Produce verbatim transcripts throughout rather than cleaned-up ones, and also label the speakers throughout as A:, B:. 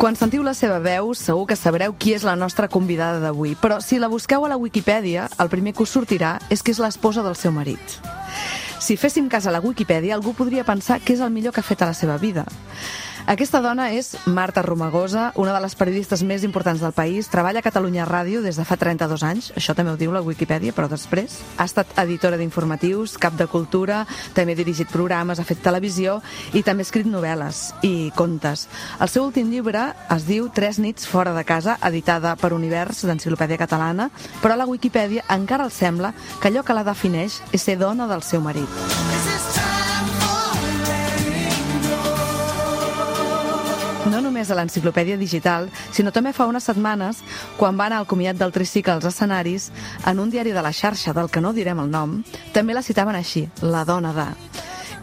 A: Quan sentiu la seva veu, segur que sabreu qui és la nostra convidada d'avui. Però si la busqueu a la Wikipedia, el primer que us sortirà és que és l'esposa del seu marit. Si féssim cas a la Wikipedia, algú podria pensar que és el millor que ha fet a la seva vida. Aquesta dona és Marta Romagosa, una de les periodistes més importants del país. Treballa a Catalunya Ràdio des de fa trenta-dos anys, això també ho diu la Wikipedia, però després ha estat editora d'informatius, cap de cultura, també ha dirigit programes, ha fet televisió i també ha escrit novel·les i contes. El seu últim llibre es diu Tres nits fora de casa, editada per Univers d'Enciclopèdia Catalana, però a la Wikipedia encara els sembla que allò que la defineix és ser dona del seu marit. No només a l'enciclopèdia digital, sinó també fa unes setmanes, quan va anar al comiat del tricicle als escenaris, en un diari de la xarxa, del que no direm el nom, també la citaven així, la dona de...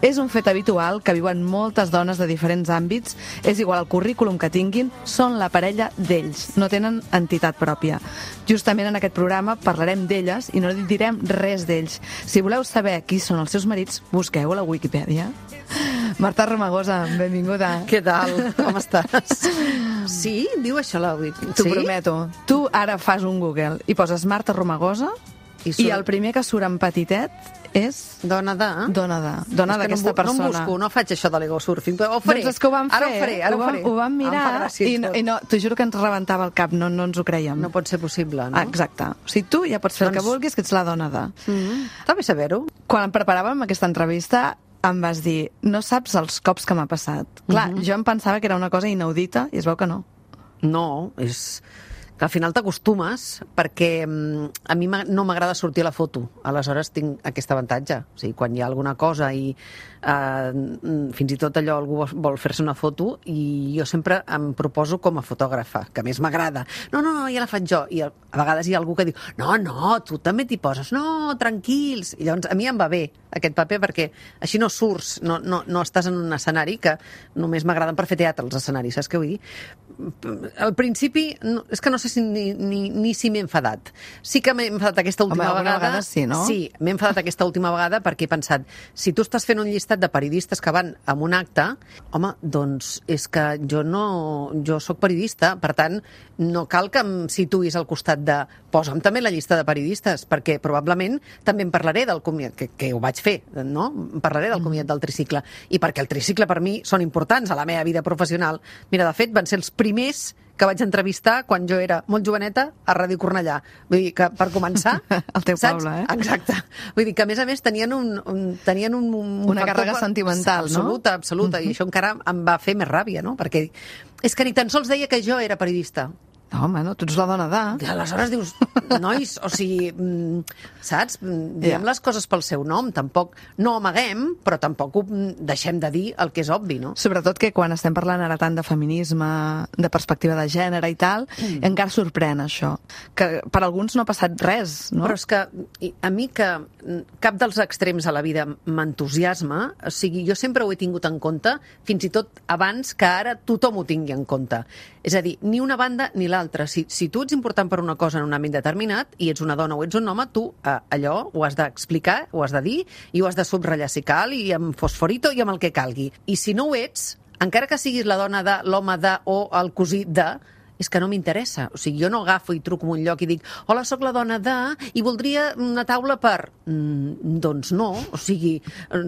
A: És un fet habitual que viuen moltes dones de diferents àmbits, és igual el currículum que tinguin, són la parella d'ells, no tenen entitat pròpia. Justament en aquest programa parlarem d'elles i no direm res d'ells. Si voleu saber qui són els seus marits, busqueu a la Wikipedia. Marta Romagosa, benvinguda.
B: Què tal? Com estàs? Sí? Diu això la Wikipedia?
A: T'ho prometo. Tu ara fas un Google i poses Marta Romagosa i, surt... i el primer que surt en petitet és...
B: Dona de...
A: Dona de... Dona d'aquesta
B: no,
A: persona.
B: No em busco, no faig això de l'ego surfing, però ho faré.
A: Doncs és que ho vam fer.
B: Ara ho faré, ara ho, ho faré.
A: Ho vam mirar
B: gràcia,
A: i, no, i no, t'ho juro que ens rebentava el cap, no, no ens ho creiem.
B: No pot ser possible, no?
A: Ah, exacte. O sigui, tu ja pots fer doncs... el que vulguis, que ets la dona de...
B: Mm-hmm. Està bé saber-ho.
A: Quan em preparàvem aquesta entrevista, em vas dir, no saps els cops que m'ha passat. Clar, mm-hmm. jo em pensava que era una cosa inaudita i es veu que no.
B: No, és... que al final t'acostumes, perquè a mi no m'agrada sortir a la foto. Aleshores tinc aquest avantatge. O sigui, quan hi ha alguna cosa i eh, fins i tot allò algú vol fer-se una foto, i jo sempre em proposo com a fotògrafa, que més m'agrada. No, no, no, ja la faig jo. I a vegades hi ha algú que diu, no, no, tu també t'hi poses. No, tranquils. I llavors a mi em va bé aquest paper, perquè així no surts, no, no, no estàs en un escenari, que només m'agraden per fer teatre els escenaris, saps què vull dir? Al principi, no, és que no sé si ni, ni, ni si m'he enfadat. Sí que m'he enfadat aquesta última
A: Home,
B: vegada.
A: vegada sí, no?
B: Sí, m'he enfadat aquesta última vegada perquè he pensat, si tu estàs fent un llistat de periodistes que van a un acte, home, doncs és que jo no... Jo sóc periodista, per tant, no cal que em situïs al costat de... Posa'm també la llista de periodistes, perquè probablement també en parlaré del comiat, que, que ho vaig fer, no? En parlaré del comiat del tricicle. I perquè el tricicle per mi són importants a la meva vida professional. Mira, de fet, van ser els primers que vaig entrevistar quan jo era molt joveneta a Ràdio Cornellà. Vull dir que, per començar...
A: El teu
B: saps?
A: poble, eh?
B: Exacte. Vull dir que, a més a més, tenien un... un tenien un, un
A: Una càrrega sentimental, no?
B: Absoluta, absoluta. Mm-hmm. I això encara em va fer més ràbia, no? Perquè és que ni tan sols deia que jo era periodista.
A: No, home, no, tu ets la dona de...
B: I aleshores dius, nois, o sigui, saps? Diem yeah. les coses pel seu nom, tampoc no amaguem, però tampoc ho deixem de dir el que és obvi, no?
A: Sobretot que quan estem parlant ara tant de feminisme, de perspectiva de gènere i tal, mm. encara sorprèn això, que per alguns no ha passat res, no?
B: Però és que a mi que cap dels extrems a la vida m'entusiasma, o sigui, jo sempre ho he tingut en compte, fins i tot abans que ara tothom ho tingui en compte. És a dir, ni una banda ni l'altra. Si, si tu ets important per una cosa en un àmbit determinat i ets una dona o ets un home, tu eh, allò ho has d'explicar, ho has de dir i ho has de subratllar si cal i amb fosforito i amb el que calgui. I si no ho ets, encara que siguis la dona de, l'home de o el cosí de, és que no m'interessa. O sigui, jo no agafo i truco en un lloc i dic hola, sóc la dona de... i voldria una taula per... Mm, doncs no. O sigui,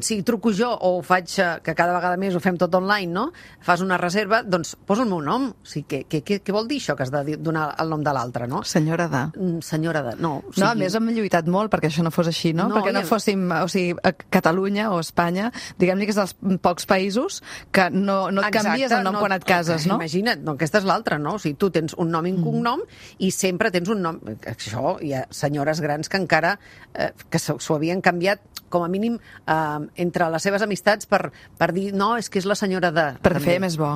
B: si truco jo o faig, que cada vegada més ho fem tot online, no? Fas una reserva, doncs posa el meu nom. O sigui, què, què, què vol dir això que has de donar el nom de l'altre, no?
A: Senyora de...
B: Senyora de... No, o sigui...
A: no, a més hem lluitat molt perquè això no fos així, no? no perquè no fóssim... O sigui, a Catalunya o Espanya, diguem-ne que és dels pocs països que no, no et Exacte, canvies el nom no, quan et cases, no?
B: Imagina't, no, aquesta és l'altra, no? O sigui, tu tens un nom i un cognom mm. i sempre tens un nom... Això, hi ha senyores grans que encara eh, que s'ho havien canviat com a mínim eh, entre les seves amistats per, per dir, no, és que és la senyora de...
A: Per fer més bo.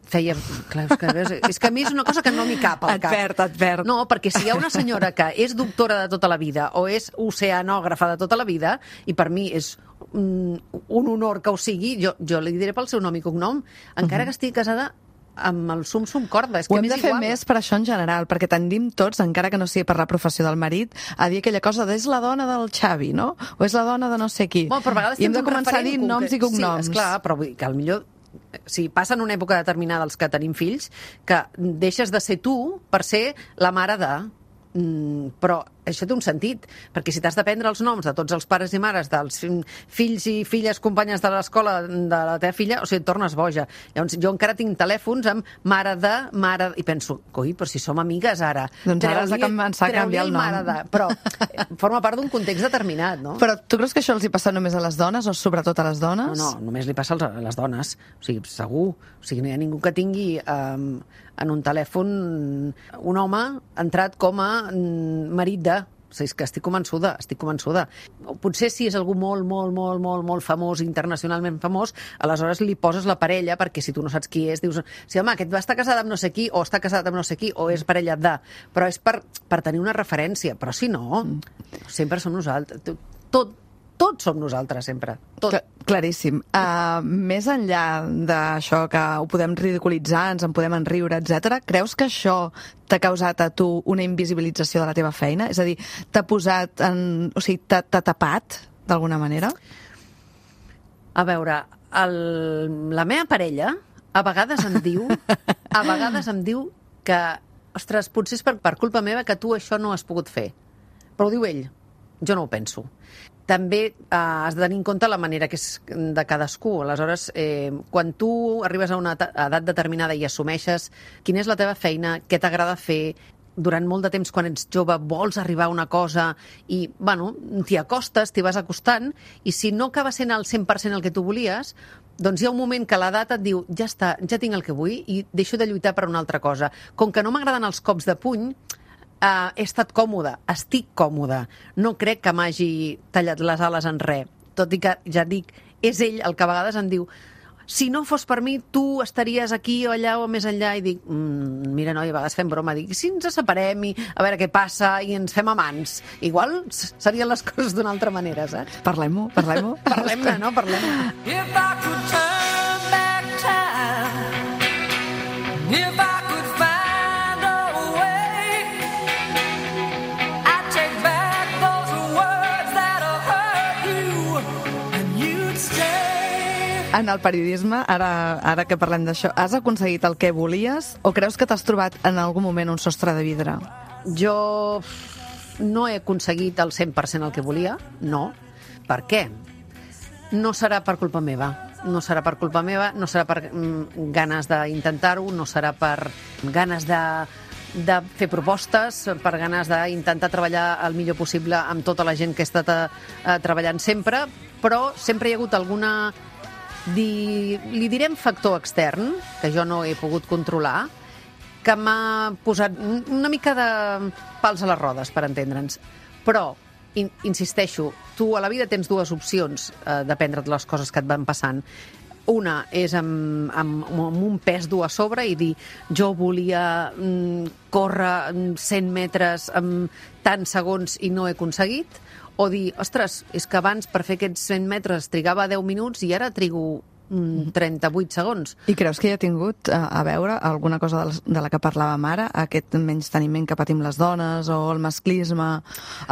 B: Feia... Clar, és, que, és que a mi és una cosa que no m'hi cap al cap.
A: Advert, advert.
B: No, perquè si hi ha una senyora que és doctora de tota la vida o és oceanògrafa de tota la vida, i per mi és mm, un honor que ho sigui, jo, jo li diré pel seu nom i cognom, encara uh-huh. que estigui casada amb el sum-sum corda. És que
A: ho hem de fer
B: igual.
A: més per això en general, perquè tendim tots, encara que no sigui per la professió del marit, a dir aquella cosa de és la dona del Xavi, no? O és la dona de no sé qui.
B: Bueno, però a vegades
A: I hem de
B: tens un
A: començar a dir
B: referent
A: noms i cognoms.
B: Sí, esclar, però vull dir que potser si passa en una època determinada els que tenim fills, que deixes de ser tu per ser la mare de... Mm, però això té un sentit, perquè si t'has de prendre els noms de tots els pares i mares dels fills i filles companyes de l'escola de la teva filla, o sigui, et tornes boja. Llavors, jo encara tinc telèfons amb mare de, mare de... I penso, coi, però si som amigues ara...
A: Doncs ara has de començar a canviar el nom.
B: Mare de... Però forma part d'un context determinat, no?
A: Però tu creus que això els hi passa només a les dones o sobretot a les dones?
B: No, no, només li passa a les dones. O sigui, segur. O sigui, no hi ha ningú que tingui um, en un telèfon un home entrat com a um, marit de... O sigui, és que estic convençuda, estic convençuda. Potser si és algú molt, molt, molt, molt, molt famós, internacionalment famós, aleshores li poses la parella, perquè si tu no saps qui és, dius, sí, home, aquest va estar casat amb no sé qui, o està casat amb no sé qui, o és parella de... Però és per, per tenir una referència. Però si no, sempre som nosaltres. Tot, tots som nosaltres, sempre. Tot.
A: Cl- claríssim. Uh, més enllà d'això que ho podem ridiculitzar, ens en podem enriure, etcètera, creus que això t'ha causat a tu una invisibilització de la teva feina? És a dir, t'ha posat en... O sigui, t'ha, t'ha tapat, d'alguna manera?
B: A veure, el, la meva parella a vegades em diu a vegades em diu que, ostres, potser és per, per culpa meva que tu això no has pogut fer. Però ho diu ell. Jo no ho penso. També eh, has de tenir en compte la manera que és de cadascú. Aleshores, eh, quan tu arribes a una edat determinada i assumeixes quina és la teva feina, què t'agrada fer, durant molt de temps, quan ets jove, vols arribar a una cosa i, bueno, t'hi acostes, t'hi vas acostant, i si no acaba sent al cent per cent el que tu volies, doncs hi ha un moment que l'edat et diu ja està, ja tinc el que vull i deixo de lluitar per una altra cosa. Com que no m'agraden els cops de puny, Uh, he estat còmoda, estic còmoda. No crec que m'hagi tallat les ales en res. Tot i que, ja dic, és ell el que a vegades em diu si no fos per mi, tu estaries aquí o allà o més enllà. I dic, mm, mira, noi, a vegades fem broma. Dic, si ens separem i a veure què passa i ens fem amants. Igual serien les coses d'una altra manera, saps?
A: Parlem-ho, parlem-ho.
B: Parlem-ne, no? Parlem-ne.
C: If I could turn back time, if I could find a way, I'd take back those words that have hurt you, and you'd stay.
A: En el periodisme, ara, ara que parlem d'això, has aconseguit el que volies o creus que t'has trobat en algun moment un sostre de vidre?
B: Jo no he aconseguit el cent per cent el que volia, no. Per què? No serà per culpa meva. No serà per culpa meva, no serà per mm, ganes d'intentar-ho, no serà per ganes de, de fer propostes, per ganes d'intentar treballar el millor possible amb tota la gent que he estat a, a treballant sempre, però sempre hi ha hagut alguna... Di, li direm factor extern, que jo no he pogut controlar, que m'ha posat una mica de pals a les rodes, per entendre'ns. Però, in, insisteixo, tu a la vida tens dues opcions eh, d'aprendre les coses que et van passant. Una és amb, amb, amb un pes dur a sobre i dir jo volia mm, córrer cent metres en tants segons i no he aconseguit, o dir, ostres, és que abans per fer aquests cent metres trigava deu minuts i ara trigo mm, trenta-vuit segons.
A: I creus que hi ha tingut a, a veure alguna cosa de la, de la que parlàvem ara, aquest menysteniment que patim les dones o el masclisme?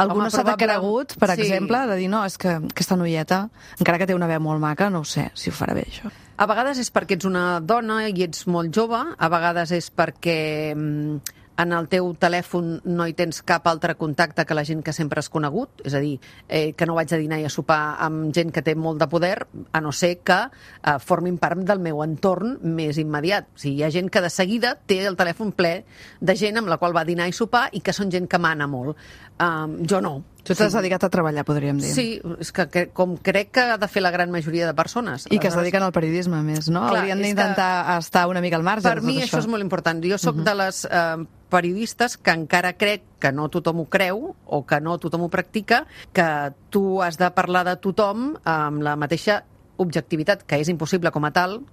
A: Algú no s'ha de cregut, per
B: Sí.
A: exemple, de dir, no, és que aquesta noieta, encara que té una veu molt maca, no ho sé si ho farà bé, això.
B: A vegades és perquè ets una dona i ets molt jove, a vegades és perquè mm, en el teu telèfon no hi tens cap altre contacte que la gent que sempre has conegut, és a dir, eh, que no vaig a dinar i a sopar amb gent que té molt de poder, a no ser que eh, formin part del meu entorn més immediat. O sigui, hi ha gent que de seguida té el telèfon ple de gent amb la qual va a dinar i sopar i que són gent que mana molt. Um, jo no.
A: Tu t'has dedicat a treballar, podríem dir.
B: Sí, és que, que com crec que ha de fer la gran majoria de persones.
A: I que es dediquen al periodisme, a més, no?
B: Clar,
A: Haurien
B: és
A: d'intentar
B: que
A: estar una mica al marge
B: Per
A: de tot
B: mi això és molt important. Jo sóc
A: Mhm.
B: de les eh, periodistes que encara crec que no tothom ho creu o que no tothom ho practica, que tu has de parlar de tothom amb la mateixa objectivitat, que és impossible com a tal,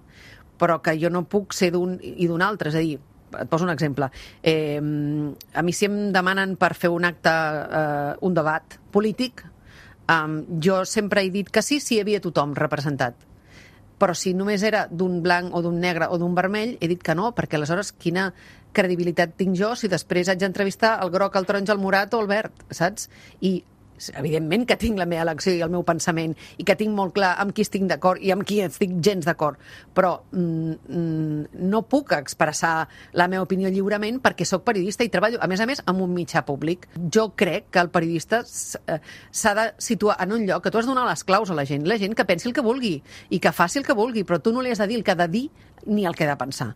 B: però que jo no puc ser d'un i d'un altre. És a dir, et poso un exemple. Eh, a mi si em demanen per fer un acte, eh, un debat polític, Um, jo sempre he dit que sí si hi havia tothom representat. Però si només era d'un blanc o d'un negre o d'un vermell, he dit que no, perquè aleshores quina credibilitat tinc jo si després haig d'entrevistar el groc, el taronja, el morat o el verd, saps? I evidentment que tinc la meva elecció i el meu pensament i que tinc molt clar amb qui estic d'acord i amb qui estic gens d'acord, però mm, no puc expressar la meva opinió lliurement perquè sóc periodista i treballo, a més a més, amb un mitjà públic. Jo crec que el periodista s'ha de situar en un lloc que tu has de donar les claus a la gent, la gent que pensi el que vulgui i que faci el que vulgui, però tu no li has de dir el que ha de dir ni el que ha de pensar.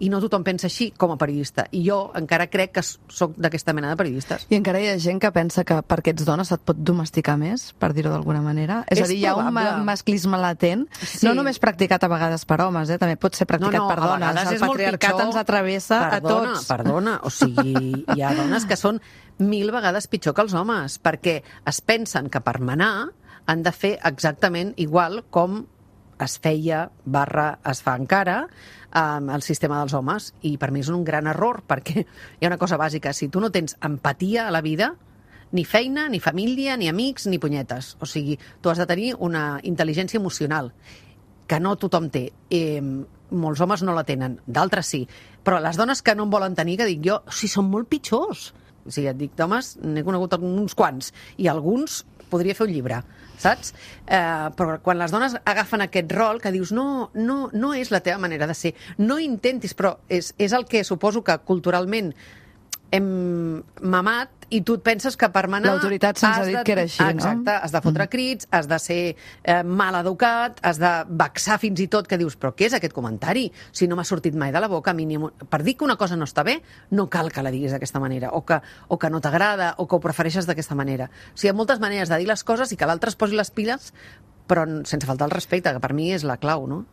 B: I no tothom pensa així com a periodista. I jo encara crec que sóc d'aquesta mena de periodistes.
A: I encara hi ha gent que pensa que perquè ets dona se't pot domesticar més, per dir-ho d'alguna manera. És, és a dir, hi ha un ma masclisme latent, sí. No només practicat a vegades per homes, eh? També pot ser practicat no, no, per dones. El patriarcat ens atravessa perdona, a tots.
B: Perdona, o sigui, hi ha dones que són mil vegades pitjor que els homes, perquè es pensen que per manar han de fer exactament igual com es feia, barra, es fa encara, um, el sistema dels homes. I per mi és un gran error, perquè hi ha una cosa bàsica. Si tu no tens empatia a la vida, ni feina, ni família, ni amics, ni punyetes. O sigui, tu has de tenir una intel·ligència emocional, que no tothom té. Eh, molts homes no la tenen, d'altres sí. Però les dones que no en volen tenir, que dic jo, o sigui, són molt pitjors. O sigui, et dic, d'homes, n'he conegut uns quants, i alguns podria fer un llibre, saps? Eh, però quan les dones agafen aquest rol que dius no, no, no és la teva manera de ser, no intentis, però és, és el que suposo que culturalment hem mamat i tu et penses que per manar...
A: L'autoritat se'ns ha dit
B: de,
A: que era així,
B: exacte, no? Exacte, has de fotre crits, has de ser eh, mal educat, has de vexar fins i tot, que dius, però què és aquest comentari? Si no m'ha sortit mai de la boca, mínim, per dir que una cosa no està bé, no cal que la diguis d'aquesta manera, o que, o que no t'agrada, o que ho prefereixes d'aquesta manera. O sigui, hi ha moltes maneres de dir les coses i que l'altre es posi les piles, però sense faltar el respecte, que per mi és la clau, no?